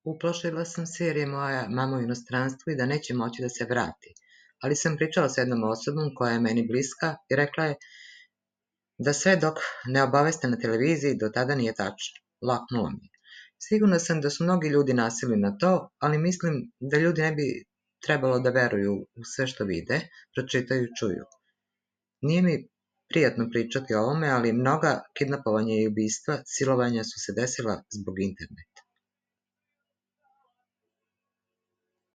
Uplašila sam se jer je moja mama u inostranstvu i da neće moći da se vrati, ali sam pričala sa jednom osobom koja je meni bliska i rekla je da sve dok ne obaveste na televiziji do tada nije tačno. Laknulo mi je. Sigurna sam da su mnogi ljudi nasili na to, ali mislim da ljudi ne bi trebalo da veruju u sve što vide, pročitaju i čuju. Nije mi prijatno pričati o ovome, ali mnoga kidnapovanja i ubistva, silovanja su se desila zbog interneta.